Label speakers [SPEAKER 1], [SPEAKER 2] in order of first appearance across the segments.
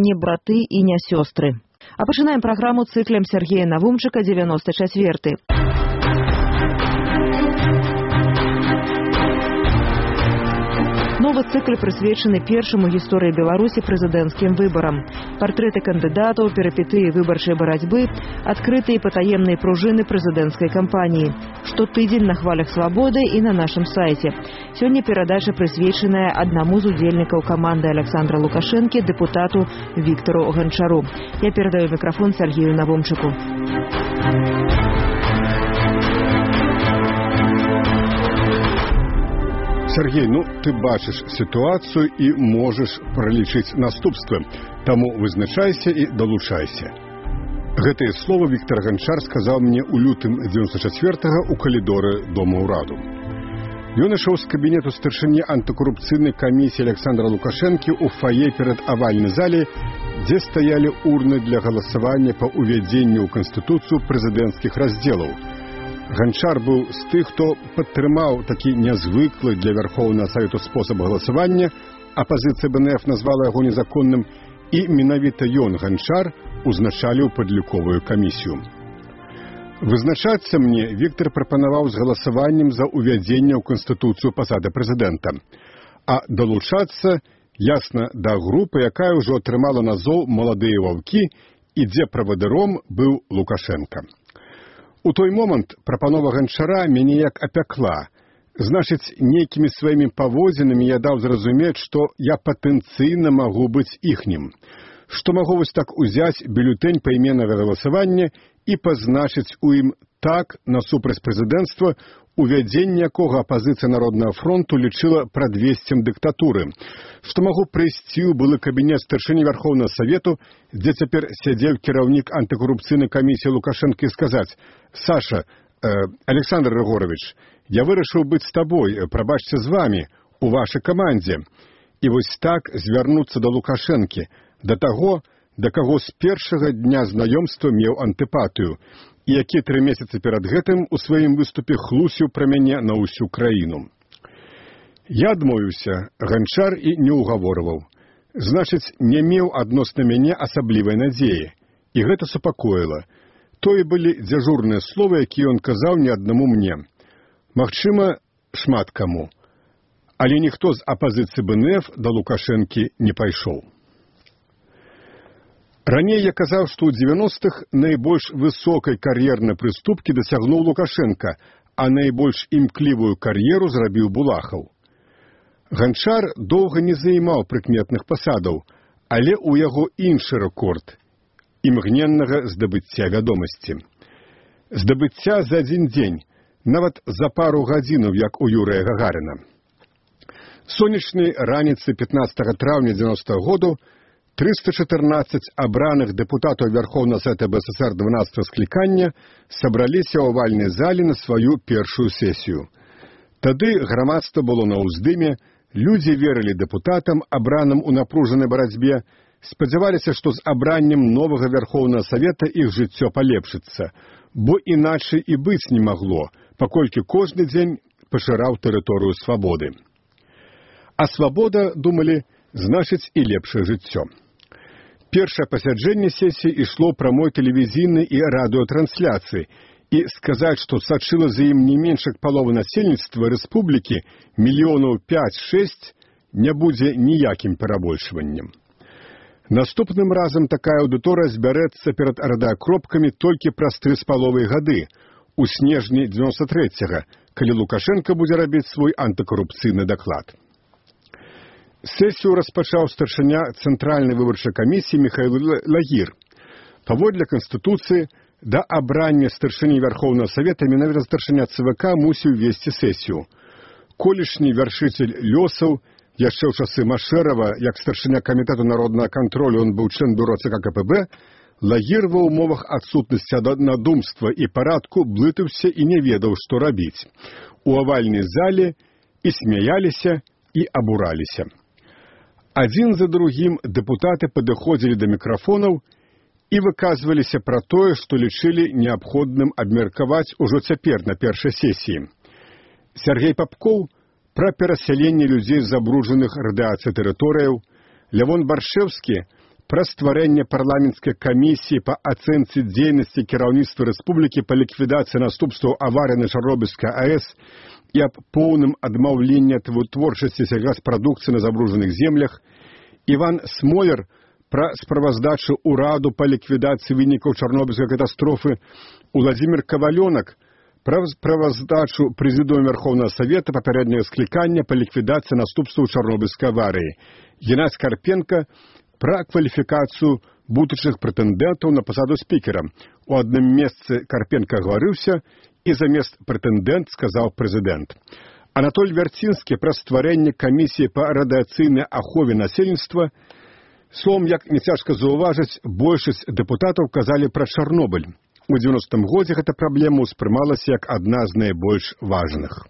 [SPEAKER 1] не браты і не сёстры. А пачынаем праграму цыклем Сергея Навумчыка 94. Новы цыкл прысвечаны першаму гісторыі Беларусі прэзідэнцкім выбарам. Партрэты кандыдатаў, перыпетыі выбарчай барацьбы, адкрытыя і патаемныя пружыны прэзідэнцкай кампаніі. Штотыдзень на хвалях свабоды і на нашым сайце. Сёння перадача прысвечаная аднаму з удзельнікаў каманды Александра Лукашэнкі, дэпутату Віктару Ганчару. Я перадаю мікрафон Сергею Навумчыку.
[SPEAKER 2] Сергей, ты бачыш сітуацыю і можаш пралічыць наступствы. Таму вызначайся і далучайся. Гэтыя словы Віктар Ганчар сказаў мне ў лютым 94-го ў калідоры Дома ўраду. Ён ішоў з кабінету старшыні антыкорупцыйнай камісіі Александра Лукашэнкі ў фае перад авальнай зале, дзе стаялі урны для галасавання па ўвядзенню ў Канстытуцыю прэзідэнцкіх раздзелаў. Ганчар быў з тых, хто падтрымаў такі нязвыклы для Вярхоўнага Савету спосаб галасавання, апазіцыя БНФ назвала яго незаконным, і менавіта ён, Ганчар, узначаліў падліковую камісію. Вызначацца мне Віктар прапанаваў з галасаваннем за ўвядзенне ў Канстытуцыю пасады прэзідэнта, а далучацца, ясна, да групы, якая ўжо атрымала назоў «Маладыя ваўкі» і дзе правадыром быў Лукашенка. У той момант прапанова Ганчара мяне як апякла. Значыць, нейкімі сваімі паводзінамі я даў зразумець, што я патэнцыйна магу быць іхнім. Што магу вось так узяць бюлетэнь пайменнага галасавання і пазначыць у ім «так» насупраць прэзідэнцтва, увядзенне якога апазіцыя Народнага фронту лічыла прадвесцем дыктатуры. Што магу прыйсці ў былы кабінет старшыні Вярхоўнага Савету, дзе цяпер сядзеў кіраўнік антыкорупцыйнай камісіі Лукашэнкі і сказаць: «Саша, Александр Рыгорович, я вырашыў быць з табой, прабачце з вамі, у вашай камандзе». І вось так звярнуцца да Лукашэнкі, да таго, да каго з першага дня знаёмства меў антыпатыю, і які 3 месяцы перад гэтым у сваім выступе хлусіў пра мяне на ўсю краіну. Я адмовіўся, Ганчар і не ўгаворваў. Значыць, не меў адносна мяне асаблівай надзеі. І гэта супакоіла. Тое былі дзяжурныя словы, якія ён казаў не аднаму мне. Магчыма, шмат каму. Але ніхто з апазіцыі БНФ да Лукашэнкі не пайшоў. Раней я казаў, што ў 90-х найбольш высокай кар'ернай прыступкі дасягнуў Лукашенка, а найбольш імклівую кар'еру зрабіў Булахаў. Ганчар доўга не займаў прыкметных пасадаў, але ў яго іншы рэкорд – імгненнага здабыцця вядомасці. Здабыцця за адзін дзень, нават за пару гадзінаў, як у Юрыя Гагаріна. Сонечнай раніцы 15 траўня 90-го году 314 абраных дэпутатаў Вярхоўнага Савета БССР 12-го склікання сабраліся ў авальнай зале на сваю першую сесію. Тады грамадства было на ўздыме, людзі верылі дэпутатам, абраным у напружанай барацьбе, спадзяваліся, што з абраннем новага Вярхоўнага Савета іх жыццё палепшыцца, бо іначай і быць не магло, паколькі кожны дзень пашыраў тэрыторыю свабоды. А свабода, думалі, значыць і лепшае жыццё. Першае пасяджэнне сесіі ішло прамой тэлевізійнай і радыётрансляцыі, і сказаць, што сачыла за ім не менш як палова насельніцтва рэспублікі, мільёнаў 5-6, не будзе ніякім перабольшваннем. Наступным разам такая аўдыторыя збярэцца перад радыакропкамі толькі праз 3,5 гады, у снежні 93-го, калі Лукашенка будзе рабіць свой антыкорупцыйны даклад. Сесію распачаў старшыня Цэнтральнай выбарчай камісіі Міхаіл Лагір. Паводле Канстытуцыі, да абрання старшыні Вярхоўнага Савета менавіта старшыня ЦВК мусіў весці сесію. Колішні вяршыцель лёсаў, яшчэ ў часы Машэрава, як старшыня камітэту народнага кантролю, ён быў член бюро ЦК КПБ, Лагір ва ўмовах адсутнасці аднадумства і парадку блытаўся і не ведаў, што рабіць. У авальнай зале і смяяліся, і абураліся. Адзін за другім дэпутаты падыходзілі да мікрафонаў і выказваліся пра тое, што лічылі неабходным абмеркаваць ужо цяпер на першай сесіі. Сергей Попков пра перасяленне людзей з забруджаных радыяцыяй тэрыторыяў, Лявон Баршэўскі пра стварэнне парламенцкай камісіі па ацэнцы дзейнасці кіраўніцтва рэспублікі па ліквідацыі наступстваў аварыі на Чарнобыльскай АЭС і аб поўным адмаўленні ад вытворчасці сельгаспрадукцыі на забруджаных землях, Іван Смолер пра справаздачу ўраду па ліквідацыі вынікаў Чарнобыльскай катастрофы, Уладзімір Кавалёнак пра справаздачу Прэзідыума Верховнага Савета папярэдняга склікання па ліквідацыі наступстваў Чарнобыльскай аварыі, Геннадзь Карпенка пра кваліфікацыю будучых прэтэндэнтаў на пасаду спікера. У адным месцы Карпенка гаварыўся, і замест прэтэндэнт сказаў прэзідэнт. Анатоль Вярцінскі пра стварэнне камісіі па радыяцыйнай ахове насельніцтва. Словом, як не цяжка заўважыць, большасць дэпутатаў казалі пра Чарнобыль. У 90-м годзе гэта праблема ўспрымалася як адна з найбольш важных.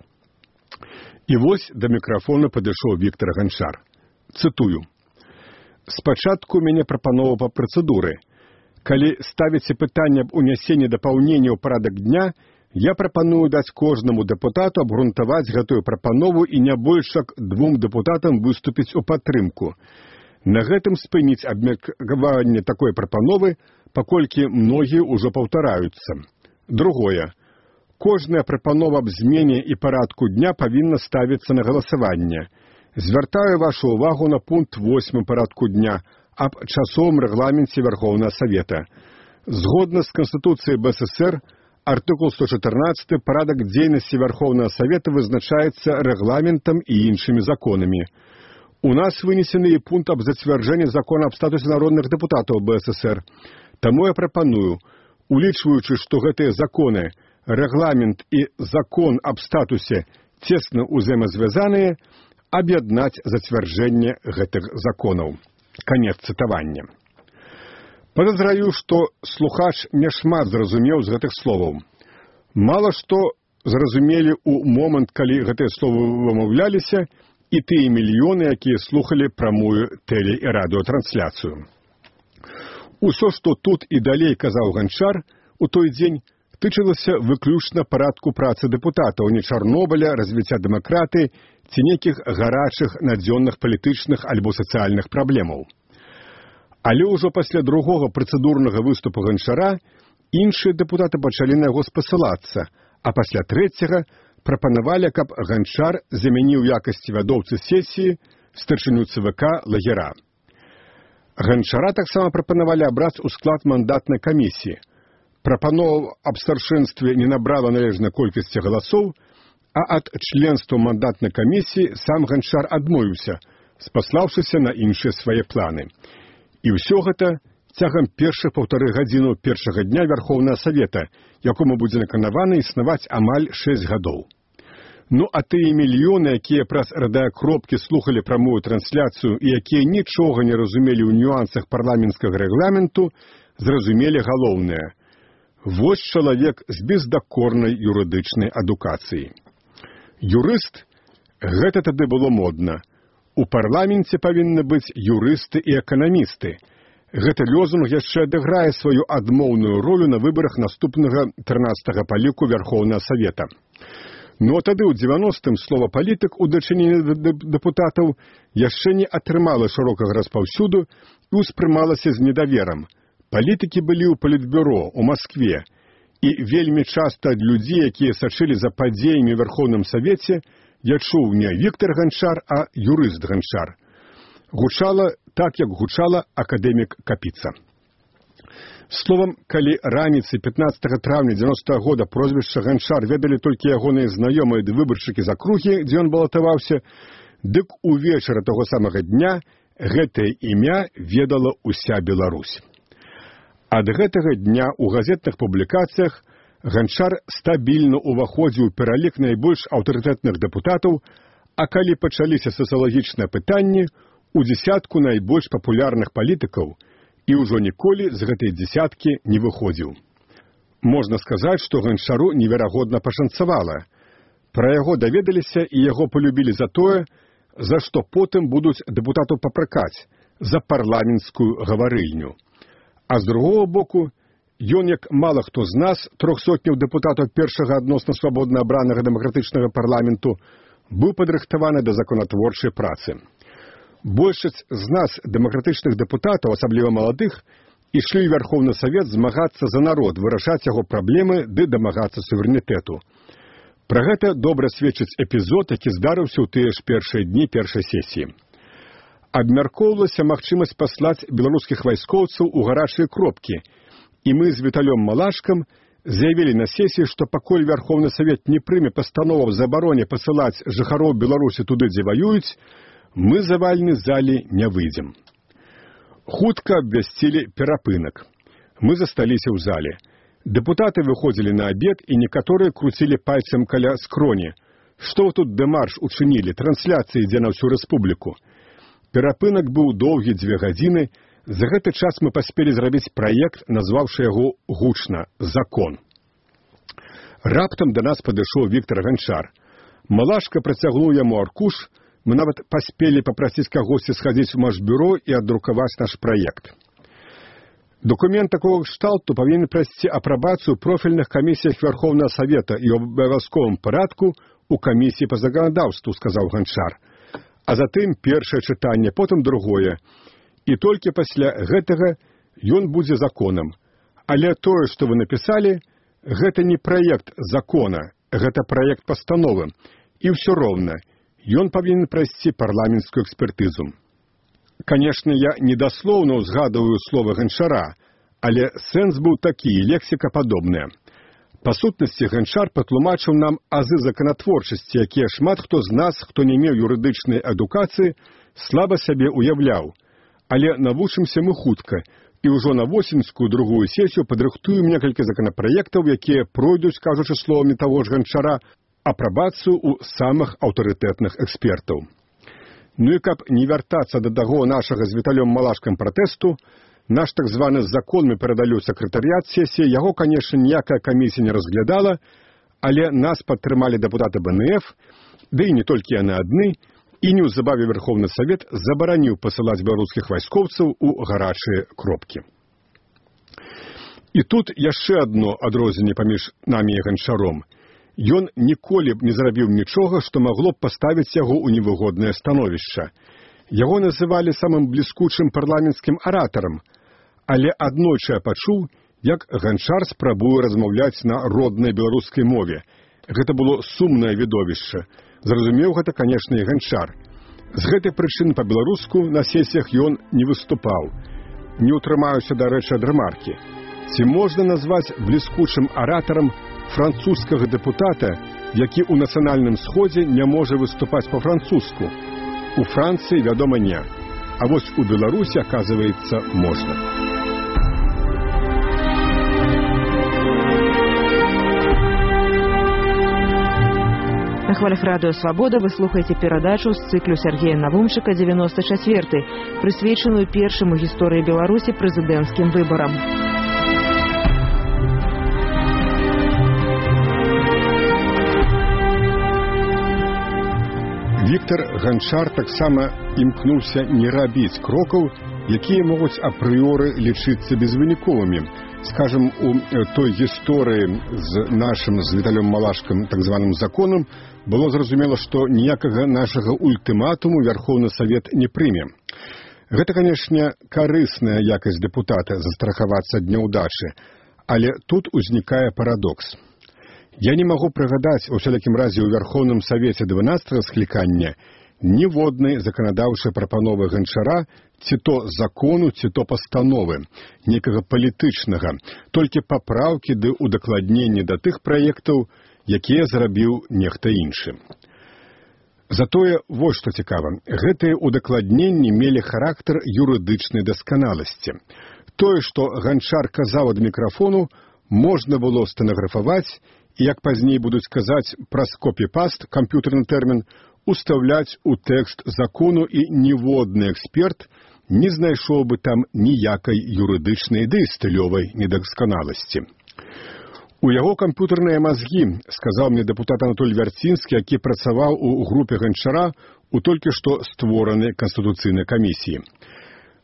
[SPEAKER 2] І вось да мікрафона падышоў Віктор Ганчар. Цытую. «Спачатку мяне прапанова па працэдуры. Калі ставіце пытанне аб унясенні дапаўнення ў парадак дня, я прапаную даць кожнаму дэпутату абгрунтаваць гэтую прапанову і не больш як 2 дэпутатам выступіць у падтрымку. На гэтым спыніць абмеркаванне такой прапановы, паколькі многія ўжо паўтараюцца. Другое. Кожная прапанова аб змене і парадку дня павінна ставіцца на галасаванне. Звяртаю вашу ўвагу на пункт 8 парадку дня аб часовым рэгламенце Верховнага Савета. Згодна з Канстытуцыяй БССР, артыкул 114 парадак дзейнасці Верховнага Савета вызначаецца рэгламентам і іншымі законамі. У нас вынесены і пункт аб зацвярджэнні закона аб статусе народных дэпутатаў БССР. Таму я прапаную, улічваючы, што гэтыя законы, рэгламент і закон аб статусе цесна ўзаемазвязаныя, аб'яднаць зацвярджэнне гэтых законаў». Канец цытавання. Падазраю, што слухач няшмат зразумеў з гэтых словаў. Мала што зразумелі ў момант, калі гэтыя словы вымаўляліся, і тыя мільёны, якія слухалі прамую тэле- і радыётрансляцыю. Усё, што тут і далей казаў Ганчар у той дзень, тычылася выключна парадку працы дэпутатаў, не Чарнобыля, развіцця дэмакратыі ці нейкіх гарачых надзённых палітычных альбо сацыяльных праблемаў. Але ўжо пасля другога працэдурнага выступу Ганчара іншыя дэпутаты пачалі на яго спасылацца, а пасля трэцяга прапанавалі, каб Ганчар замяніў якасці вядоўцы сесіі старшыню ЦВК Лагера. Ганчара таксама прапанавалі абраць у склад мандатнай камісіі. Прапанова аб старшынстве не набрала належнай колькасці галасоў, а ад членства мандатнай камісіі сам Ганчар адмовіўся, спаслаўшыся на іншыя свае планы. І ўсё гэта цягам першых 1,5 гадзіны першага дня Верховнага Савета, якому будзе наканавана існаваць амаль 6 гадоў. Ну а тыя мільёны, якія праз радыёкропкі слухалі прамую трансляцыю і якія нічога не разумелі ў нюансах парламенцкага рэгламенту, зразумелі галоўнае. Вось чалавек з бездакорнай юрыдычнай адукацыяй. Юрыст – гэта тады было модна. У парламенце павінны быць юрысты і эканамісты. Гэты лозунг яшчэ адыграе сваю адмоўную ролю на выбарах наступнага 13-га па ліку Верховнага Савета. Но тады ў 90-м слова «палітык» у дачыненні да дэпутатаў яшчэ не атрымала шырокага распаўсюду і ўспрымалася з недаверам. Палітыкі былі ў палітбюро, у Маскве, і вельмі часта ад людзей, якія сачылі за падзеямі ў Верховным Савеце, я чуў не Віктор Ганчар, а юрыст Ганчар. Гучала так, як гучала акадэмік Капіца. Словам, калі раніцай 15 траўня 90-го года прозвішча Ганчар ведалі толькі ягоныя знаёмыя ды выбаршчыкі з акругі, дзе ён балатаваўся, дык увечары таго самага дня гэтае імя ведала ўся Беларусь. Ад гэтага дня ў газетных публікацыях Ганчар стабільна ўваходзіў у пералік найбольш аўтарытэтных дэпутатаў, а калі пачаліся сацыялагічныя пытанні, у дзесятку найбольш папулярных палітыкаў, і ўжо ніколі з гэтай дзесяткі не выходзіў. Можна сказаць, што Ганчару неверагодна пашанцавала. Пра яго даведаліся і яго полюбілі за тое, за што потым будуць дэпутатаў папракаць, за парламенцкую гаварыльню. А з другого боку, ён, як мала хто з нас, 300 дэпутатаў першага адносна свабодна абранага дэмакратычнага парламенту, быў падрыхтаваны да законатворчай працы. Большасць з нас, дэмакратычных дэпутатаў, асабліва маладых, ішлі ў Вярхоўны Савет змагацца за народ, вырашаць яго праблемы ды дамагацца суверэнітэту. Пра гэта добра сведчыць эпізод, які здарыўся ў тыя ж першыя дні першай сесіі. Абмяркоўвалася магчымасць паслаць беларускіх вайскоўцаў у гарачыя кропкі, і мы з Віталём Малашкам заявілі на сесіі, што пакуль Вярхоўны Савет не прыме пастанову аб забароне пасылаць жыхароў Беларусі туды, дзе ваююць, мы з авальнай залі не выйдзем. Хутка абвясцілі перапынак. Мы засталіся ў зале. Дэпутаты выходзілі на абед, і некаторыя круцілі пальцам каля скроні. Што вы тут дэмарш учынілі, трансляцыя ідзе на ўсю рэспубліку. Перапынак быў доўгі 2 гадзіны. За гэты час мы паспелі зрабіць праект, назваўшы яго гучна «Закон». Раптам да нас падышоў Віктар Ганчар. Малашка працягнуў яму аркуш. Мы нават паспелі папрасіць кагосьці схадзіць у Машбюро і адрукаваць наш праект. Документ такого кшталту павінен прайсці апрабацыю профільных камісіях Верховного Совета і ў абавязковым парадку у камісіі па заканадаўству, сказаў Ганчар. А затым першае чытанне, потым другое. І толькі пасля гэтага ён будзе законам. Але тое, што вы напісалі, гэта не праект закона, гэта праект пастановы. І ўсё роўна. Ён павінен прайсці парламенцкую экспертызу. Канешне, я недаслоўна ўзгадываю словы Ганчара, але сэнс быў такі, лексіка падобная. Па сутнасці, Ганчар патлумачыў нам азы законатворчасці, якія шмат хто з нас, хто не меў юрыдычнай адукацыі, слаба сабе уяўляў. Але навучымся мы хутка, і ўжо на восеньскую другую сесію падрыхтуем некалькі законапраектаў, якія пройдуць, кажучы словамі таго ж Ганчара, апрабацыю ў самых аўтарытэтных экспертаў. Ну і каб не вяртацца да таго нашага з Віталём Малашкам пратэсту, наш так званы закон мы перадалі ў сакратарыят сесіі, яго, канешне, ніякая камісія не разглядала, але нас падтрымалі дэпутаты БНФ, ды і не толькі яны адны, і неўзабаве Верховны Савет забараніў пасылаць беларускіх вайскоўцаў у гарачыя кропкі. І тут яшчэ адно адрозненне паміж намі і Ганчаром. Ён ніколі б не зрабіў нічога, што магло б паставіць яго ў невыгоднае становішча. Яго называлі самым бліскучым парламенцкім аратарам, але аднойчы я пачуў, як Ганчар спрабуе размаўляць на роднай беларускай мове. Гэта было сумнае відовішча. Зразумеў гэта, канешне, і Ганчар. З гэтай прычыны па-беларуску на сесіях ён не выступаў. Не ўтрымаюся, дарэчы, ад рэмаркі. Ці можна назваць бліскучым аратарам французскага дэпутата, які ў нацыянальным сходзе не можа выступаць па-французску? У Францыі, вядома, не. А вось у Беларусі, аказваецца, можна.
[SPEAKER 1] На хвалях радыё «Свабода» вы слухаеце перадачу з цыклю Сергея Навумчыка «94», прысвечаную першым у гісторыі Беларусі прэзідэнцкім выбарам.
[SPEAKER 2] Віктар Ганчар таксама імкнуўся не рабіць крокаў, якія могуць апрыёры лічыцца безвыніковымі. Скажам, у той гісторыі з нашым, з Віталём Малашкам, так званым законам, было зразумела, што ніякага нашага ультыматуму Верховны Савет не прыме. Гэта, канешне, карысная якасць дэпутата застрахавацца ад няўдачы, але тут узнікае парадокс. Я не магу прыгадаць, у всякім разе ў Верховным Савеце 12-го склікання, ніводнай заканадаўчай прапановы Ганчара, ці то закону, ці то пастановы, некага палітычнага, толькі папраўкі ды удакладненні да тых праектаў, якія зрабіў нехта іншы. Затое, вось што цікава, гэтыя удакладненні мелі характар юрыдычнай дасканаласці. Тое, што Ганчар казаў ад мікрафону, можна было стэнаграфаваць, і, як пазней будуць казаць праз копі-паст, камп'ютэрны тэрмін, устаўляць у тэкст закону, і ніводны эксперт не знайшоў бы там ніякай юрыдычнай ды стылёвай недасканаласці. У яго камп'ютэрныя мазгі, сказаў мне дэпутат Анатоль Вярцінскі, які працаваў у групе Ганчара у толькі што створанай Канстытуцыйнай камісіі.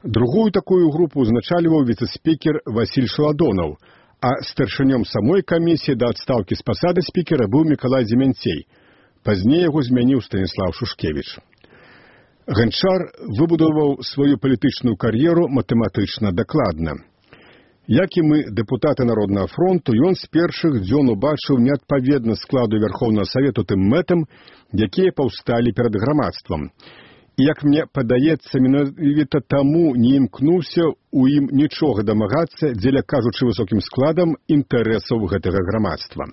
[SPEAKER 2] Другую такую групу узначальваў віцэ-спікер Васіль Шаладонаў, а старшынём самой камісіі да адстаўкі з пасады спікера быў Мікалай Дземянцей. Пазней яго змяніў Станіслав Шушкевіч. Ганчар выбудаваў сваю палітычную кар'еру матэматычна дакладна. Як і мы, дэпутаты Народнага фронту, ён з першых дзён убачыў неадпаведнасць складу Вярхоўнага Савету тым мэтам, якія паўсталі перад грамадствам. І, як мне падаецца, менавіта таму не імкнуўся ў ім нічога дамагацца, дзеля кажучы высокім складам інтарэсаў гэтага грамадства.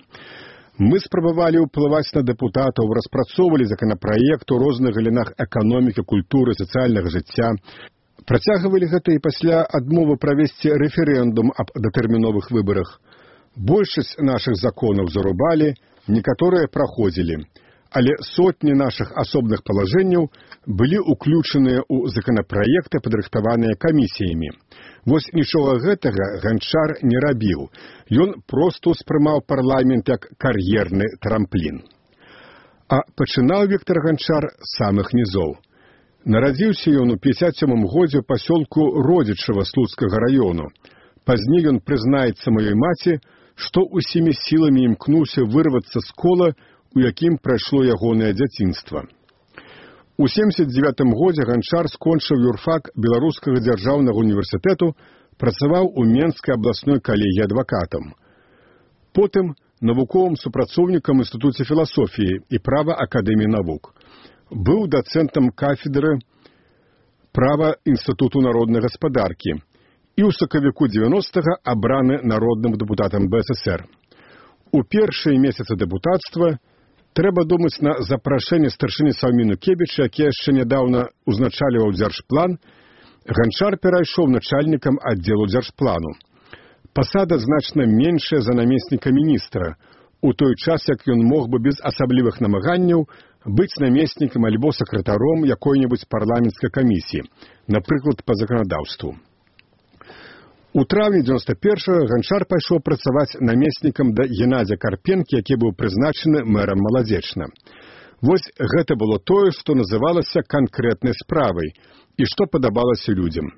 [SPEAKER 2] Мы спрабавалі ўплываць на дэпутатаў, распрацоўвалі законапраект у розных галінах эканомікі, культуры, сацыяльнага жыцця. Працягвалі гэта і пасля адмовы правесці рэферэндум аб датэрміновых выбарах. Большасць нашых законаў зарубалі, некаторыя праходзілі. Але сотні нашых асобных палажэнняў былі ўключаныя ў законапраекты, падрыхтаваныя камісіямі. Вось нічога гэтага Ганчар не рабіў. Ён проста ўспрымаў парламент як кар'ерны трамплін. А пачынаў Віктар Ганчар з самых нізоў. Нарадзіўся ён у 57-м годзе ў пасёлку Родзічава Слуцкага раёну. Пазней ён прызнаецца маёй маці, што усімі сіламі імкнуўся вырвацца з кола, у якім прайшло ягонае дзяцінства. У 79-м годзе Ганчар скончыў юрфак Беларускага дзяржаўнага універсітэту, працаваў у Менскай абласной калегіі адвакатам. Потым навуковым супрацоўнікам Інстытуце філасофіі і права Акадэміі навук. Быў дацэнтам кафедры права Інстытуту народнай гаспадаркі і ў сакавіку 90-га абраны народным дэпутатам БССР. У першыя месяцы дэпутацтва трэба думаць на запрашэнне старшыні Саўміну Кебіча, які яшчэ нядаўна узначальваў дзяржплан, Ганчар перайшоў начальнікам аддзелу дзяржплану. Пасада значна меншая за намесніка міністра, у той час, як ён мог бы без асаблівых намаганняў быць намеснікам альбо сакратаром якой-небудзь парламенцкай камісіі, напрыклад, па заканадаўству. У траўні 91-го Ганчар пайшоў працаваць намеснікам да Геннадзя Карпенкі, які быў прызначаны мэрам Маладзечна. Вось гэта было тое, што называлася канкрэтнай справай і што падабалася людзям.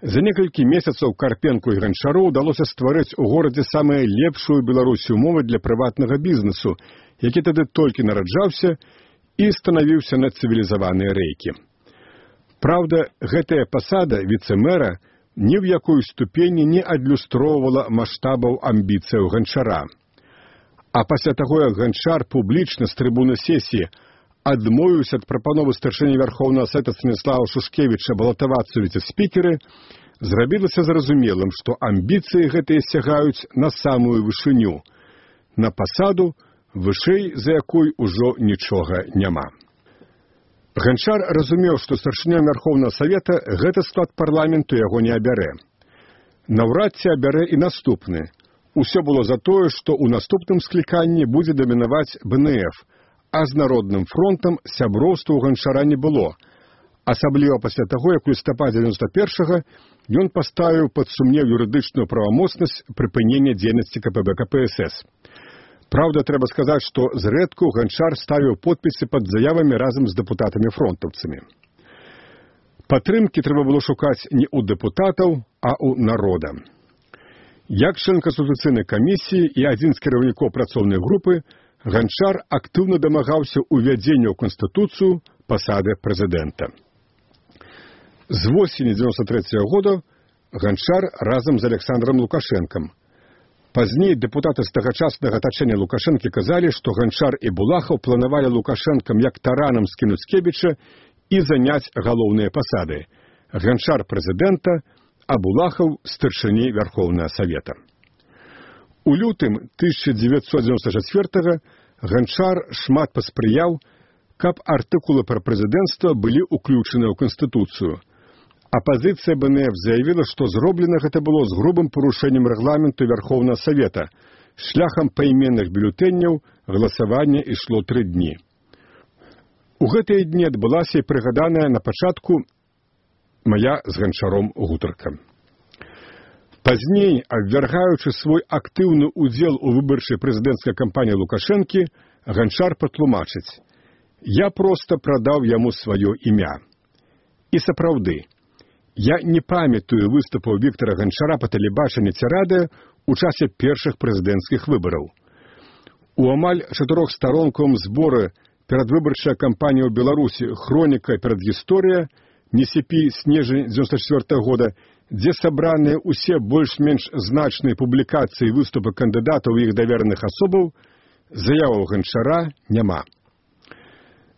[SPEAKER 2] За некалькі месяцаў Карпенку і Ганчару ўдалося стварыць у горадзе самую лепшую Беларусі умовы для прыватнага бізнесу, які тады толькі нараджаўся і станавіўся на цывілізаваныя рэйкі. Праўда, гэтая пасада віцэ-мэра ні в якой ступені не адлюстроўвала маштабаў амбіцыяў Ганчара. А пасля таго, як Ганчар публічна з трыбуны сесіі адмовіўся ад прапановы старшыні Вярхоўнага Савета Станіслава Шушкевіча балатавацца ў віцэ-спікеры, зрабілася зразумелым, што амбіцыі гэтыя сягаюць на самую вышыню, на пасаду, вышэй за якой ужо нічога няма. Ганчар разумеў, што старшынём Вярхоўнага Савета гэты склад парламенту яго не абярэ. Наўрад ці абярэ і наступны. Усё было за тое, што ў наступным скліканні будзе дамінаваць БНФ, а з Народным фронтам сяброўства ў Ганчара не было. Асабліва пасля таго, як у лістападзе 91-го ён паставіў пад сумнеў юрыдычную правамоцнасць прыпынення дзейнасці КПБ КПСС. Праўда, трэба сказаць, што зрэдку Ганчар ставіў подпісы пад заявамі разам з дэпутатамі-фронтаўцамі. Падтрымкі трэба было шукаць не ў дэпутатаў, а ў народа. Як член Канстытуцыйнай камісіі і адзін з кіраўнікоў працоўнай групы, Ганчар актыўна дамагаўся ўвядзення ў Канстытуцыю пасады прэзідэнта. З восені 93-го года Ганчар разам з Александром Лукашэнкам. Пазней дэпутаты з тагачаснага атачэння Лукашэнкі казалі, што Ганчар і Булахаў планавалі Лукашэнкам як таранам скінуць Кебіча і заняць галоўныя пасады. Ганчар прэзідэнта, а Булахаў старшыні Вярхоўнага Савета. У лютым 1994-го Ганчар шмат паспрыяў, каб артыкулы пра прэзідэнцтва былі ўключаны ў Канстытуцыю. Апазіцыя БНФ заявіла, што зроблена гэта было з грубым парушэннем рэгламенту Вярхоўнага Савета. Шляхам пайменных бюлетэнняў галасаванне ішло 3 дні. У гэтыя дні адбылася і прыгаданая на пачатку мая з Ганчаром гутарка. Пазней, абвяргаючы свой актыўны ўдзел у выбарчай прэзідэнцкай кампаніі Лукашэнкі, Ганчар патлумачыць: «Я проста прадаў яму сваё імя». І сапраўды, я не памятаю выступаў Віктара Ганчара па тэлебачанні ці радыё ў часе першых прэзідэнцкіх выбараў. У амаль 4-сторонковым зборы перадвыбарчая кампанія ў Беларусі «Хроніка перадгісторыя» «Несіпі снежань 94 года», дзе сабраныя ўсе больш-менш значныя публікацыі і выступы кандыдатаў і іх давераных асобаў, заяваў Ганчара няма.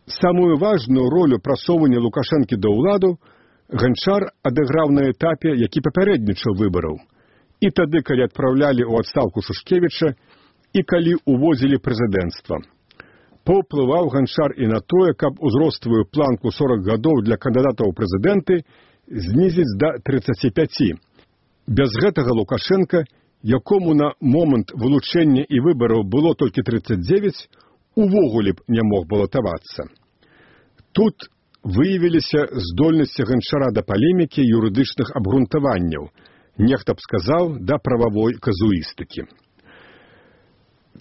[SPEAKER 2] Самую важную ролю прасоўвання Лукашэнкі да ўладу Ганчар адыграў на этапе, які папярэднічаў выбараў. І тады, калі адпраўлялі ў адстаўку Шушкевіча, і калі увозілі прэзідэнцтва. Паўплываў Ганчар і на тое, каб узростовую планку 40 гадоў для кандыдатаў у прэзідэнты знізіць да 35. Без гэтага Лукашенка, якому на момант вылучэння і выбараў было толькі 39, увогуле б не мог балатавацца. Тут выявіліся здольнасці Ганчара да палемікі юрыдычных абгрунтаванняў, нехта б сказаў, да прававой казуістыкі.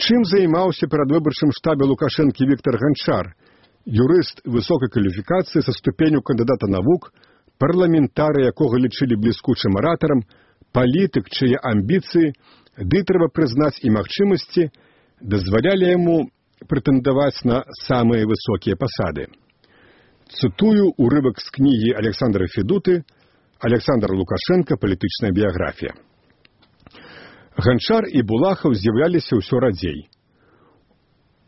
[SPEAKER 2] Чым займаўся перадвыбарчым штабе Лукашэнкі Віктор Ганчар, юрыст высокай кваліфікацыі са ступенню кандыдата навук, парламентары, якога лічылі бліскучым аратарам, палітык, чые амбіцыі, ды трэба прызнаць і магчымасці, дазвалялі яму прэтэндаваць на самыя высокія пасады. Цытую урывак з кнігі Александра Федуты «Александр Лукашенко. Палітычная біяграфія». Ганчар і Булахаў з'яўляліся ўсё радзей.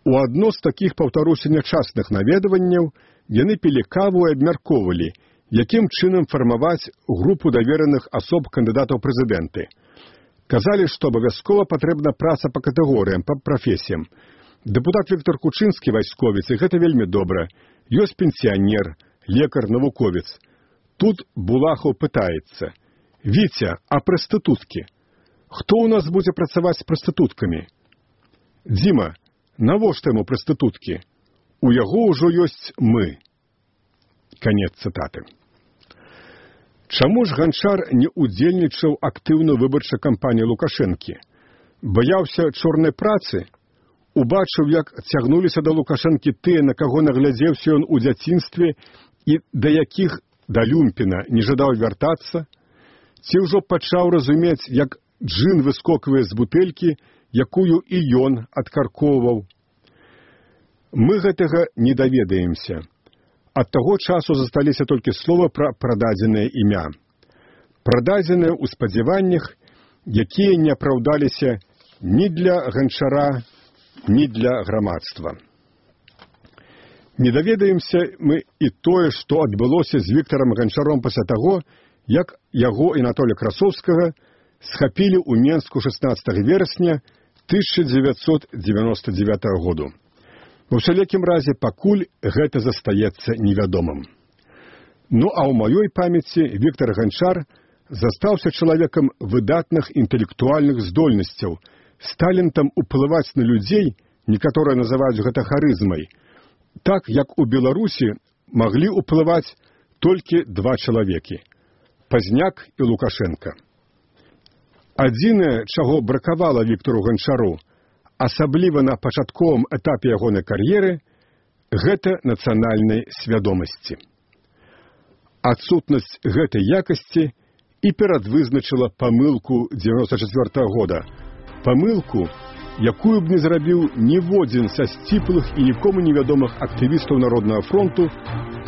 [SPEAKER 2] У адно з такіх, паўтаруся, нячасных наведванняў яны пілі каву і абмяркоўвалі, якім чынам фармаваць групу давераных асоб кандыдатаў прэзідэнты. Казалі, што абавязкова патрэбна праца па катэгорыям, па прафесіям. Дэпутат Віктор Кучынскі вайсковец, і гэта вельмі добра. Ёсць пенсіянер, лекар, навуковец. Тут Булахаў пытаецца: «Віця, а прастытуткі? Хто ў нас будзе працаваць з прастытуткамі? Дзіма, навошта яму прастытуткі? У яго ўжо ёсць мы». Канец цытаты. Чаму ж Ганчар не удзельнічаў актыўна выбарчай кампаніі Лукашэнкі? Баяўся чорнай працы? Убачыў, як цягнуліся да Лукашэнкі тыя, на каго наглядзеўся ён у дзяцінстве і да якіх да люмпіна не жадаў вяртацца? Ці ўжо пачаў разумець, як джын выскоквае з бутэлькі, якую і ён адкаркоўваў? Мы гэтага не даведаемся. Ад таго часу засталіся толькі слова пра прададзенае імя. Прададзенае ў спадзяваннях, якія не апраўдаліся ні для Ганчара, ні для грамадства. Не даведаемся мы і тое, што адбылося з Віктарам Ганчаром пасля таго, як яго і Анатолія Красоўскага схапілі ў Менску 16 верасня 1999 году. У ўсялякім разе пакуль гэта застаецца невядомым. Ну а ў маёй памяці Віктар Ганчар застаўся чалавекам выдатных інтэлектуальных здольнасцяў, з талентам уплываць на людзей, некаторыя называюць гэта харызмай, так як у Беларусі маглі ўплываць толькі два чалавекі – Пазняк і Лукашенка. Адзінае, чаго бракавала Віктару Ганчару, асабліва на пачатковым этапе ягонай кар'еры, гэта нацыянальнай свядомасці. Адсутнасць гэтай якасці і перадвызначыла памылку 94 года. Памылку, якую б не зрабіў ніводзін са сціплых і нікому невядомых актывістаў Народнага фронту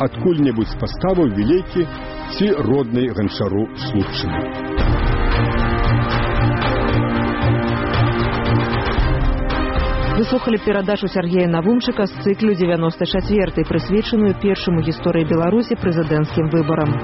[SPEAKER 2] адкуль-небудзь з паставаў Вілейкі ці роднай Ганчару Слупчыны.
[SPEAKER 1] Вы слухали перадачу Сергея Навумчыка з цыклю 94-й, прысвечаную першаму гісторыі Беларусі прэзідэнцкім выбарам.